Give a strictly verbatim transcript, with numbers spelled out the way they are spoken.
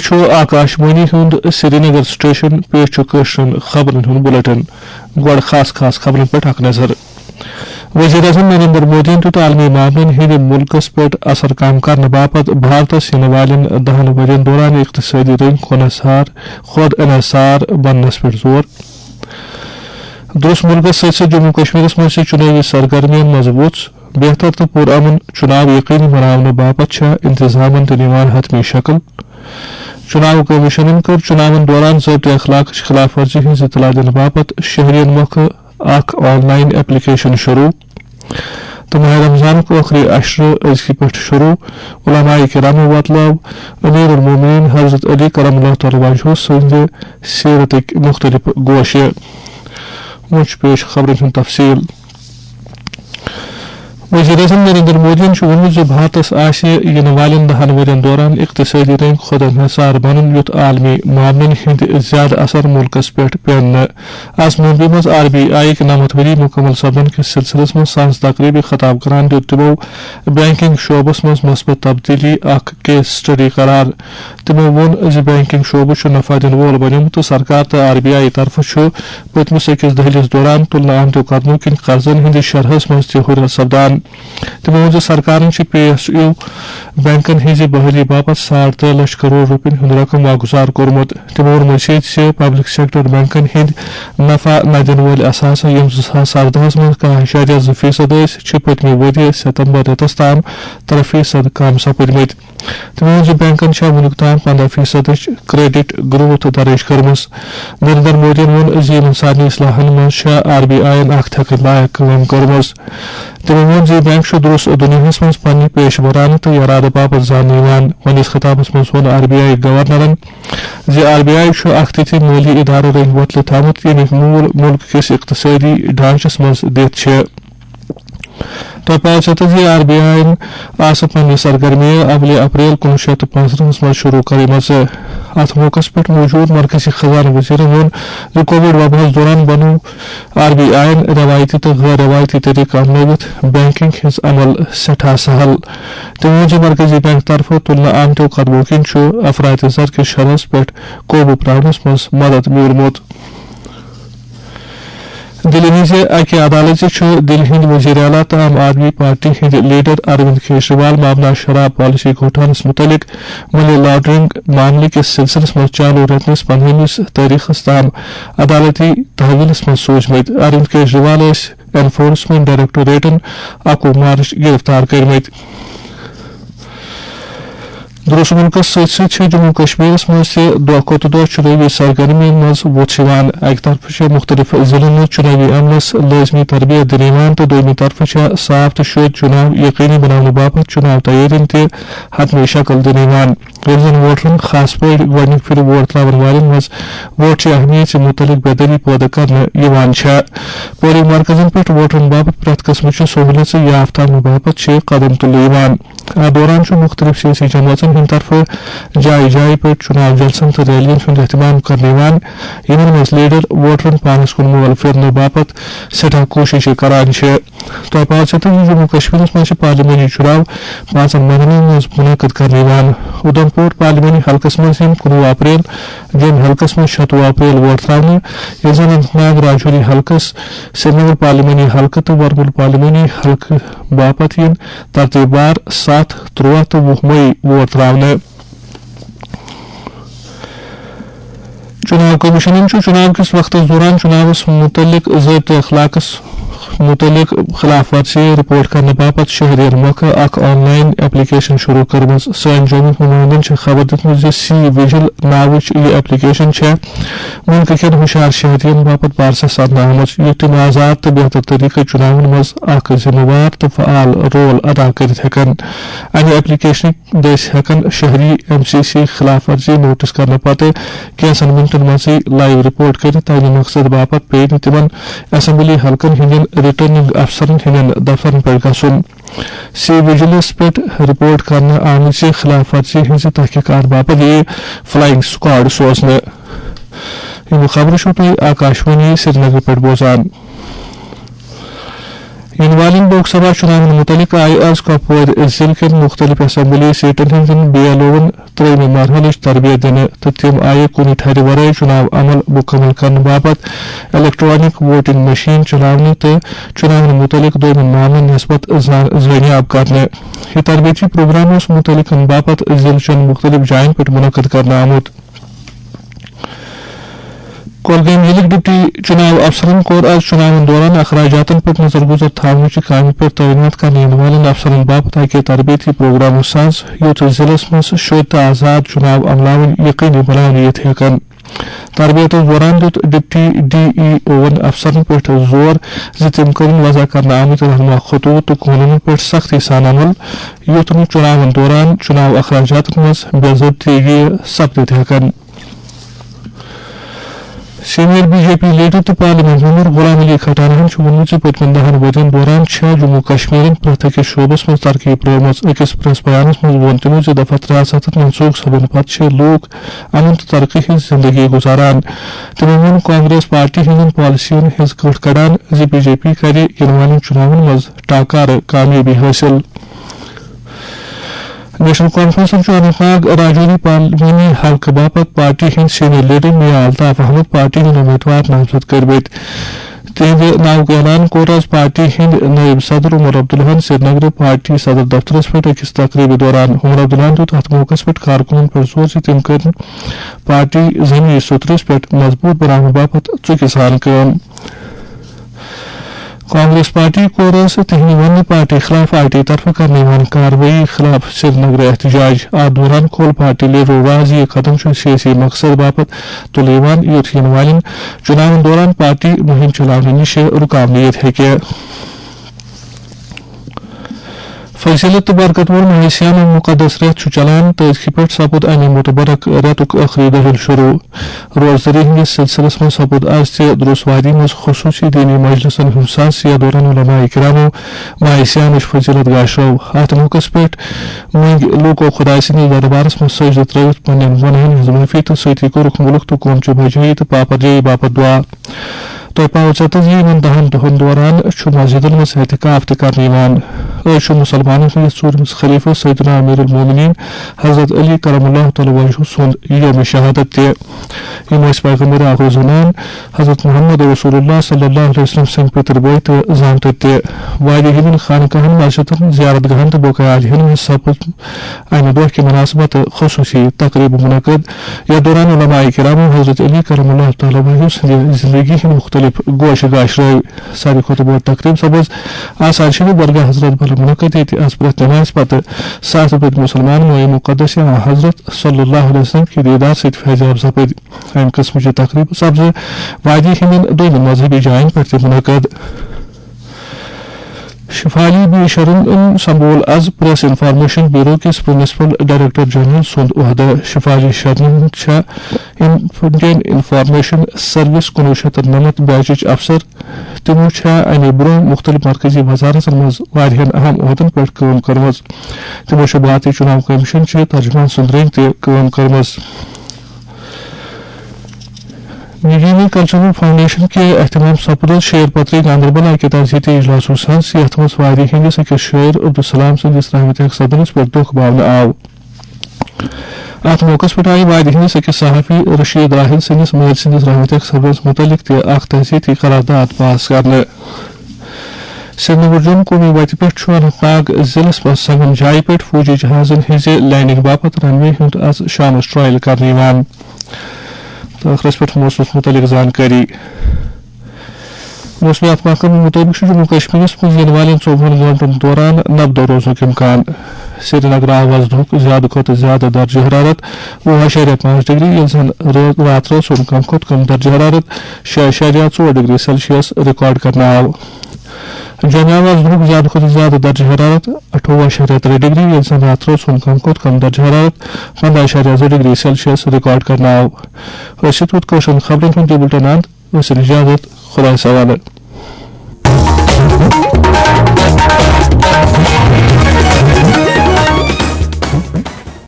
چھُ آکاشوانی ہُنٛد سرینگر سٹیشن۔ پیش چھُ کٲشرٮ۪ن خبرن ہُنٛد بلیٹن۔ گۄڈٕ خاص خاص خبرن پٮ۪ٹھ اکھ نظر۔ وزیر اعظم نریندر مودیَن دیُت عالمی معاملن ہٕنٛدِ مُلکس پٮ۪ٹھ اثر کم کرنہٕ باپتھ بھارتس یِنہٕ والٮ۪ن دَہَن ؤرین دوران اقتصٲدی رٔنگۍ خۄد انحصار، خۄد انحصار بننس پٮ۪ٹھ زور۔ درٛوس مُلکس سۭتۍ سۭتۍ جموں کشمیرس منٛز چھِ چُنٲوی سرگرمیَن منٛز وُژھ۔ بہتر تہٕ پُرامن چُناو یقینی بناونہٕ باپتھ چھےٚ انتظامن تہِ نِوان حتمی شکل۔ چُناو کمیشنن کٔر چُناون دوران ضٲبطہٕ اخلاقٕچ خلاف ورزی ہٕنٛز اطلاع دِنہٕ باپتھ شہرین مۄکھٕ اکھ آن لائن ایپلیکیشن شروع۔ تہٕ ماہ رمضانُک ٲخری عشرٕ أزکہِ پٮ۪ٹھ شروع۔ علماء کرامو وۄتلٲو امیر المومنین حضرت علی کرم اللہ تعالیٰ وجہہ سٕنٛدِ سیرتٕکۍ مُختٔلِف گوشہِ۔ وۄنۍ چھُ پیش خبرن ہُنٛد تفصیل۔ وزیر اعظم نریندر مودیَن چھُ ووٚنمُت زِ بھارتس آسہِ یِنہٕ والٮ۪ن دَہَن ؤرین دوران اقتصٲدی رٔنگۍ خۄد انحصار بنُن، یُتھ عالمی معاملن ہٕنٛدۍ زیادٕ اثر مُلکس پٮ۪ٹھ پیٚن نہٕ۔ از ممبئی منٛز آر بی آئی یٕکۍ نَمَتھ ؤری مُکمل سپدن کِس سلسلس منٛز سنز تقریبہِ خطاب کران دیُت تِمو بینکنگ شعبس منٛز مثبت تبدیلی اکھ کیس سٹڈی قرار۔ تِمو ووٚن زِ بینکنگ شعبہٕ چھُ نفع دِنہٕ وول بنیومُت تہٕ سرکار تہٕ آر بی آئی طرفہٕ چھُ پٔتمِس أکِس دٔہلِس دوران تُلنہٕ آمتیو قدمو کِنۍ قرضن ہٕنٛدِس شرحس منٛز تہِ ہُرٮ۪ر سپدان۔ تِمو ووٚن زِ سرکارن چھِ پی ایس یو بینکن ہٕنٛزِ بحالی باپتھ ساڑ ترٛےٚ لچھ کرور رۄپین ہُنٛد رقم واگُزار کوٚرمُت۔ تِمو ووٚن مزید زِ پبلک سیکٹر بینکن ہٕنٛدۍ نفع نہ دِنہٕ وٲلۍ اثاثہٕ، یِم زٕ ساس اردہَس منٛز کاہ اعشاریہ زٕ فیصد ٲسۍ، چھِ پٔتمہِ ؤرۍ یہِ ستمبر رٮ۪تس تام ترٛےٚ فیصد کم سپٕدمٕتۍ۔ تِمو ووٚن زِ بینکن چھےٚ وُنیُک تام پنداہ فیصدٕچ کریڈٹ گروتھ درٕج کٔرمٕژ۔ نریندر مودیَن ووٚن زِ یِمن سارنٕے اصلاحن منٛز چھےٚ آر بی آئی یَن اکھ تھکٕنۍ لایق کٲم کٔرمٕژ۔ تِمو ووٚن زِ بینک چھُ درست دُنیاہَس منٛز پننہِ پیشہٕ ورانہٕ تہٕ ارادٕ باپتھ زاننہٕ یِوان۔ پننِس خطابَس منٛز ووٚن آر بی آئی گورنرَن زِ آر بی آئی چھُ اکھ تِتھِ مٲلی ادارٕ رٔنگۍ وۄتلہٕ تھوٚومُت، ییٚمیُک مول مُلک کِس اقتصٲدی ڈھانچس منٛز دِتھ چھِ۔ تۄہہِ پاے چھا تہٕ زِ آر بی آئی یَن آسہٕ پننہِ سرگرمیہِ اولہِ اپریل کُنوُہ شیٚتھ تہٕ پانٛژترٕہَس منٛز شروع کٔرمٕژ۔ اتھ موقعس پٮ۪ٹھ موجود مرکزی خزانہٕ وزیرن ووٚن زِ کووڈ وباہس دوران بنوو آر بی آئی یَن روایتی تہٕ غٲر روایتی طریقہٕ اپنٲوِتھ بینکنگ ہٕنٛز عمل سٮ۪ٹھاہ سہل۔ تٔمۍ ووٚن زِ مرکزی بینک طرفہٕ تُلنہٕ آمتیو قدمو کِنۍ چھُ افراط زر کِس شرحس پٮ۪ٹھ قوبوٗ پراونس منٛز مدد میوٗلمُت۔ دِلہِ ہٕنٛزِ اَکہِ عدالژِ چھُ دِلہِ ہٕنٛدۍ وزیر اعلیٰ تہٕ عام آدمی پارٹی ہٕنٛدۍ لیڈر اروند کیجریوال مامنا شراب پالیسی گھوٹالس مُتعلق منی لانڈرنگ معاملہٕ کِس سلسلس منٛز چالوٗ رٮ۪تہٕ کِس پندہمِس تٲریخس تام عدالتی تحویلس منٛز سوٗزمٕتۍ۔ اروند کیجریوال ٲسۍ انفورسمنٹ ڈائریکٹوریٹن اَکوُہ مارچ گرفتار کٔرمٕتۍ۔ درٛوس مُلکس سۭتۍ سۭتۍ چھِ جموں کشمیرس منٛز تہِ دۄہ کھۄتہٕ دۄہ چُنٲوی سرگرمیَن منٛز وُژھ یِوان۔ اَکہِ طرفہٕ چھِ مُختٔلِف ضلعن منٛز چُنٲوی عملس لٲزمی تربیت دِنہٕ یِوان تہٕ دوٚیمہِ طرفہٕ چھےٚ صاف تہٕ شوٚد چُناو یقینی بناونہٕ باپتھ چُناو تیٲرین تہِ حتمی شکل دِنہٕ یِوان، ییٚلہِ زن ووٹرن، خاص پٲٹھۍ گۄڈٕنِکہِ پھِرِ ووٹ ترٛاون والٮ۪ن منٛز ووٹ چہِ اہمیت مُتعلق بیدٲری پٲدٕ کرنہٕ یِوان چھےٚ۔ پولنگ مرکزن پٮ۪ٹھ ووٹرن باپتھ پرٛٮ۪تھ قٕسمٕچہِ سہوٗلیژٕ یافتہٕ تھاونہٕ باپتھ چھِ قدم تُلنہٕ یِوان۔ اَتھ دوران چھُ مُختٔلِف سیٲسی جمٲژن ہٕنٛدِ طرفہٕ جایہِ جایہِ پٮ۪ٹھ چُناو جلسن تہٕ ریلین ہُنٛد اہتمام کرنہٕ یِوان، یِمن منٛز لیڈر ووٹرن پانس کُن مول پھِرنہٕ باپتھ سٮ۪ٹھاہ کوٗششہٕ کران چھِ۔ تۄہہِ پاے چھا تہٕ زِ جموں کشمیرس منٛز چھِ پارلیمانی چُناو پانٛژن مرحلن منٛز منعقد کرنہٕ یِوان۔ اُدھمپور پارلیمانی حلقس منٛز یِن کُنوُہ اپریل، جوٚم حلقس منٛز شَتوُہ اپریل ووٹ ترٛاونہٕ، ییٚلہِ زن اننت ناگ، راجوری حلقس، سرینگر پارلیمانی حلقہٕ تہٕ ورمُل پارلیمانی حلقہٕ باپتھ یِن ترتیٖب وار ستھ، تُرٛواہ تہٕ وُہ مئی ووٹ ترٛاونہٕ۔ چُناو کمیشنن چھُ چُناو کِس وقتس دوران چُناوس مُتعلق ضٲبطہٕ اخلاقس مُتعلق خلاف ورزی رپورٹ کرنہٕ باپتھ شہرین مۄکھٕ اکھ آن لائن ایپلیکیشن شروع کٔرمٕژ۔ سٲنۍ جومِک نُمٲیندن چھِ خبر دِژمٕژ زِ سی وِجل ناوٕچ یہِ ایپلیکیشن چھےٚ مُلکہٕ کٮ۪ن ہُشار شہرین باپتھ بارسس سپدنہٕ آمٕژ، یُتھ تِم آزاد تہٕ بہتر طریقہٕ چُناون منٛز اکھ ذمہٕ وار تہٕ فعال رول ادا کٔرِتھ ہٮ۪کن۔ امہِ ایپلیکیشنٕکۍ دٔسۍ ہٮ۪کن شہری ایم سی سی خلاف ورزی نوٹس کرنہٕ پتہٕ کینٛژن منٹن منٛزٕے لائیو رپورٹ کٔرِتھ۔ تمہِ مقصد باپتھ پیٚیہِ نہٕ تِمن اسمبلی حلقن ہٕنٛدٮ۪ن ریٹرننگ افسرن ہٕنٛدٮ۪ن دفترن پٮ۪ٹھ گژھُن۔ سی وجلس پٮ۪ٹھ رپورٹ کرنہٕ آمٕژ خلاف ورزی ہٕنٛزِ تحقیقات باپتھ یِیہِ فلائنگ سکواڈ سوزنہٕ۔ یِم خبرٕ چھِو تُہۍ آکاشوانی سرینگر پٮ۪ٹھ بوزان۔ یِنہٕ والٮ۪ن لوک سبھا چُناون مُتعلق آیہِ از کۄپوٲرۍ ضلعہٕ کٮ۪ن مُختٔلِف اسمبلی سیٹن ہٕنٛدٮ۪ن بی ایل اوون ترٛیٚیمہِ مرحلٕچ تربیت دِنہٕ تہٕ تِم آیہِ کُنہِ ٹھرِ ورٲے چُناو عمل مُکمل کرنہٕ باپتھ الیکٹرانک ووٹنگ مشین چلاونہٕ تہٕ چُناون مُتعلق دوٚیمٮ۪ن معاملن نسبت زان-، زٲنیاب کرنہٕ۔ یہِ تربیتی پروگرام اوس مُتعلقن باپتھ ضلعہٕ چٮ۪ن مُختٔلِف جاین پٮ۪ٹھ منعقد کرنہٕ آمُت۔ کۄلگٲمۍ ضلعٕکۍ ڈپٹی چُناو افسرن کوٚر از چُناون دوران اخراجاتن پٮ۪ٹھ نظر گُزر تھاونٕچہِ کامہِ پٮ۪ٹھ تعینات کرنہٕ یِنہٕ والٮ۪ن افسرن باپتھ اکہِ تربیتی پروگرامہٕ ساز، یُتھ ضلعس منٛز شوٚدۍ تہٕ آزاد چُناو عملاوٕنۍ یقینی بناونہٕ یِتھ ہیٚکن۔ تربیتس دوران دیُت ڈپٹی ڈی ای اوون افسرن پٮ۪ٹھ زور زِ تِم کٔرِن وضع کرنہٕ آمٕتۍ رہنما خطوط تہٕ قونوٗنن پٮ۪ٹھ سختی سان عمل، یُتھ نہٕ چُناون دوران چُناو اخراجاتن منٛز بے ضٲبطگی سپدِتھ ہیٚکن۔ Senior B J P leader تہٕ پارلیمنٹ ممبر غلام علی کھٹانہن چھُ ووٚنمُت زِ پٔتمٮ۪ن دَہَن ؤرین دوران چھےٚ جموں کشمیرن پرٛٮ۪تھ أکِس شعبس منٛز ترقی پرٲومٕژ۔ أکِس پریس بیانس منٛز ووٚن تِمو زِ دفعہ ترٛےٚ ہتھ ستتھ منسوخ سپدنہٕ پتہٕ چھِ لوٗکھ امن تہٕ ترقی ہٕنٛز زندگی گُزاران۔ تِمو ووٚن کانگریس پارٹی ہٕنٛدٮ۪ن پالیسین ہٕنٛز کٔٹھ کڑان زِ بی جے پی کرِ یِنہٕ والٮ۪ن چُناون منٛز ٹاکارٕ کامیٲبی حٲصِل۔ نیشنل کانفرنسن چھُ اننت ناگ راجوری پارلیمانی حلقہٕ باپتھ پارٹی ہٕنٛدۍ سینئر لیڈر میا الطاف احمد پارٹی ہٕنٛدۍ امیدوار نامزد کٔرمٕتۍ۔ تِہنٛدِ ناوُک اعلان کوٚر از پارٹی ہٕنٛدۍ نٲیِب صدر عمر عبداللہن سرینگرٕ پارٹی صدر دفترس پٮ۪ٹھ أکِس تقریبہِ دوران۔ عمر عبداللہن دیُت اتھ موقعس پٮ۪ٹھ کارکُنن پٮ۪ٹھ زور زِ تِم کٔرِن پارٹی زمینی سترس پٮ۪ٹھ مضبوط بناونہٕ باپتھ ژُکہِ سان کٲم۔ کانگریس پارٹی کورس تہنٛدِ وننہٕ پارٹی خلاف آر ٹی طرفہٕ کرنہٕ یِوان کاروٲیی خلاف سرینگر احتجاج۔ اتھ دوران کھول پارٹی لیڈرو راز، یہِ قدم چھُ سیٲسی مقصد باپتھ تُلنہٕ یِوان، یُتھ یِنہٕ والٮ۪ن چُناون دوران پارٹی مُہِم چلاونہٕ نِش رُکاونہٕ یِتھ ہیٚکہِ۔ فضیلت تہٕ برکت وول ماہِ صیام مقدس رٮ۪تھ چھُ چلان تہٕ أزکہِ پٮ۪ٹھ سپُد امہِ متبرک رٮ۪تُک ٲخری دٔہِل شروع۔ روزدٔری ہٕنٛدِس سلسلس منٛز سپُد از تہِ درُس وادی منٛز خصوٗصی دینی مجلسن ہُنٛد ساز، یتھ دوران علماء کرامو ماہِ صیامٕچ فضیلت گاشرٲو۔ اتھ موقعس پٮ۪ٹھ مٔنگۍ لوٗکو خۄداے سٕنٛدِس دربارس منٛز سجدٕ ترٲوِتھ پننٮ۪ن گۄناہن ہٕنٛز معٲفی تہٕ سۭتی کوٚرُکھ مُلک تہٕ قوم چہِ بجٲیی تہٕ پاپرجٲیی باپتھ دُعا۔ تۄہہِ پاوٕ ژےٚ تہٕ زِ یِمن دَہن دۄہن دوران چھُ مسجدن منٛز اعتکاف تہِ کرنہٕ یِوان۔ أزۍ چھُ مُسلمانن ہٕنٛدِس ژوٗرمِس خلیفہٕ سیدنا امیر المومنین حضرت علی کرم اللہ تعالیٰ وجہہ سُنٛد یوم شہادت تہِ۔ یِم ٲسۍ پیغمبر آخر زمان حضرت محمد رسول اللہ صلی اللہ علیہ وسلم سٕنٛدۍ پِتٕر بٲے تہٕ زامتٕرۍ تہِ۔ واریاہ ہٕنٛدٮ۪ن خانقاہن، مسجدن، زیارت گاہن تہٕ بقایا عالیہن منٛز سپُد امہِ دۄہ کہِ مناسبت خصوٗصی تقریٖب منعقد، یتھ دوران علماء کرامو حضرت علی کرم اللہ تعالیٰ وجہہ سٕنٛدِ زندگی ہٕنٛدۍ مُختٔلِف گوشہٕ گاش رٲوۍ۔ ساروی کھۄتہٕ بٔڑ تقریٖب سپٕز آستان شریف درگاہ حضرت بل منعقد، ییٚتہِ از پرٛٮ۪تھ نمازِ پتہٕ ساسہٕ بٔدۍ مُسلمان مایہِ مقدس یا حضرت صلی اللہ علیہ وسلم کہِ دیدار سۭتۍ فیض یاب سپٕدۍ۔ امہِ قٕسمٕچہِ تقریٖبہٕ سپزٕ وادی ہٕنٛدٮ۪ن دوٚیمٮ۪ن مذہبی جاین پٮ۪ٹھ تہِ منعقد۔ شفالی بی شرن سمبول از پریس انفارمیشن بیورو کِس پرنسپل ڈائریکٹر جنرل سُنٛد عہدٕ۔ شفالی شرن چھےٚ انڈین انفارمیشن سروس کُنوُہ شیٚتھ تہٕ نَمَتھ بیچٕچ افسر۔ تِمو چھےٚ امہِ برٛونٛہہ مُختٔلِف مرکزی وزارتن منٛز واریاہن اہم عہدن پٮ۪ٹھ کٲم کٔرمٕژ۔ تِمو چھےٚ بھارتی چُناو کمیشن چہِ ترجمان سٕنٛدۍ رٔنٛگۍ تہِ کٲم کٔرمٕژ۔ نیجینی کلچرل فاؤنڈیشن کہِ اہتمام سپُد شعر پتری گاندربل اکہِ تعزیتی اجلاسُک سنز، یتھ منٛز وادی ہٕنٛدِس أکِس شٲعر عبدالسلام سٕنٛدِس رحمتِ حق صدرس پٮ۪ٹھ دۄکھ باونہٕ آو۔ اتھ موقعس پٮ۪ٹھ آیہِ وادی ہٕنٛدِس أکِس صحافی رشید راحل سٕنٛدِس مٲلۍ سٕنٛدِس رحمتِ حق صدرس مُتعلق تہِ اکھ تعزیتی قرارداد پاس کرنہٕ۔ سرینگر جوٚم قومی وتہِ پٮ۪ٹھ چھُ اننت ناگ ضلعس منٛز سنگم جایہِ پٮ۪ٹھ فوجی جہازن ہٕنٛزِ لینڈنگ باپتھ رن وے ہُنٛد از شامس ٹرائل کرنہٕ یِوان۔ تہٕ ٲخرس پٮ۪ٹھ موسمس مُتعلق زانکٲری۔ موسمیات محکمہٕ مُطٲبِق چھُ جموں کشمیرس منٛز یِنہٕ والٮ۪ن ژوٚوُہن گٲنٛٹن دوران نبدو روزنُک امکان۔ سرینگر آو از دُہُک زیادٕ کھۄتہٕ زیادٕ درجہٕ حرارت وُہ اعشاریہ پانٛژھ ڈگری، ییٚلہِ زن رٲ-، راتھ رٲژ ہُنٛد کم کھۄتہٕ کم درجہٕ حرارت شےٚ اعشاریہ ژور ڈگری سیلسیس ریکارڈ کرنہٕ آو۔ جوٚمہِ آو از دُہُک زیادٕ کھۄتہٕ زیادٕ درجہٕ حرارت اَٹھووُہ اعشاریہ ترٛےٚ ڈگری، ییٚلہِ زن راتھ رٲژ ہُنٛد کم کھۄتہٕ کم درجہٕ حرارت پنٛداہ اعشاریہ زٕ ڈگری سیلسیس ریکارڈ کرنہٕ آو۔ ٲسِتھ ووت کٲشرٮ۪ن خبرن ہُنٛد یہِ بُلٹن اند۔ ٲسِن اجازت، خۄدایس حوالہٕ۔